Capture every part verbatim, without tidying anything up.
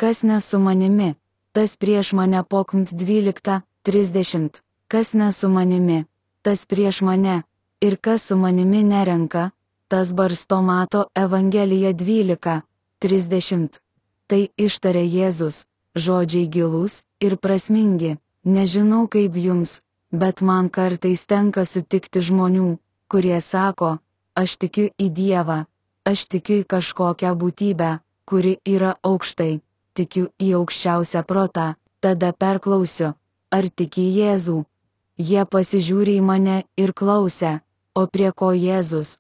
kas ne su manimi, tas prieš mane pokumt dvylikta, trisdešimt, kas ne su manimi, tas prieš mane, ir kas su manimi nerenka, tas barsto Mato Evangelija dvylika, trisdešimt. Tai ištarė Jėzus, žodžiai gilūs ir prasmingi, nežinau kaip jums, bet man kartais tenka sutikti žmonių, kurie sako, aš tikiu į Dievą, aš tikiu į kažkokią būtybę, kuri yra aukštai, tikiu į aukščiausią protą, tada perklausiu, ar tiki į Jėzų. Jie pasižiūri į mane ir klausia, o prie ko Jėzus?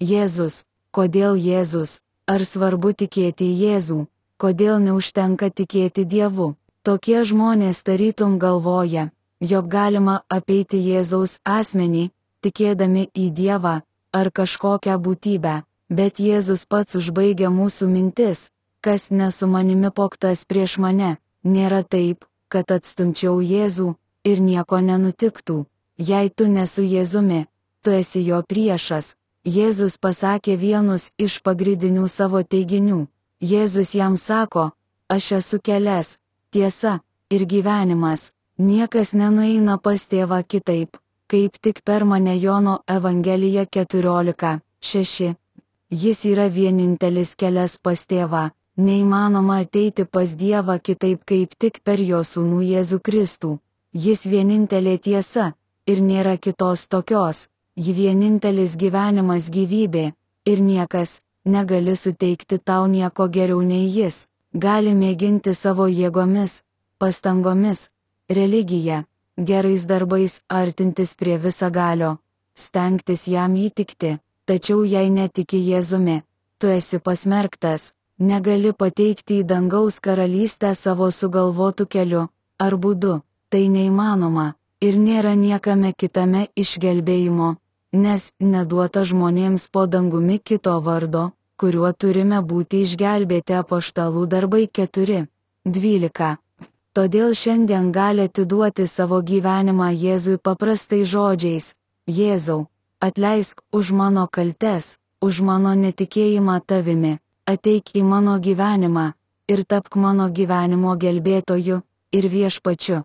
Jėzus, kodėl Jėzus, ar svarbu tikėti į Jėzų, kodėl neužtenka tikėti Dievu? Tokie žmonės tarytum galvoja, jog galima apeiti Jėzaus asmenį, tikėdami į Dievą ar kažkokią būtybę, bet Jėzus pats užbaigia mūsų mintis, kas ne su manimi poktas prieš mane, nėra taip, kad atstumčiau Jėzų ir nieko nenutiktų. Jei tu nesu Jėzumi, tu esi jo priešas. Jėzus pasakė vienus iš pagrindinių savo teiginių. Jėzus jam sako, aš esu kelias, tiesa ir gyvenimas, niekas nenueina pas tėvą kitaip, kaip tik per mane. Jono Evangelija keturiolika, šeši. Jis yra vienintelis kelias pas tėvą, neįmanoma ateiti pas Dievą kitaip kaip tik per jo sūnų Jėzų Kristų. Jis vienintelė tiesa, ir nėra kitos tokios, ji vienintelis gyvenimas gyvybė, ir niekas negali suteikti tau nieko geriau nei jis, gali mėginti savo jėgomis, pastangomis, religija, gerais darbais artintis prie visagalio, stengtis jam įtikti, tačiau jei netiki Jėzumi, tu esi pasmerktas, negali pateikti į dangaus karalystę savo sugalvotų keliu ar būdu, tai neįmanoma, ir nėra niekame kitame išgelbėjimo, nes neduota žmonėms po dangumi kito vardo, kuriuo turime būti išgelbėti. Apaštalų darbai keturi, dvylika. Todėl šiandien gali atiduoti savo gyvenimą Jėzui paprastai žodžiais: Jėzau, atleisk už mano kaltes, už mano netikėjimą tavimi, ateik į mano gyvenimą ir tapk mano gyvenimo gelbėtoju ir viešpačiu.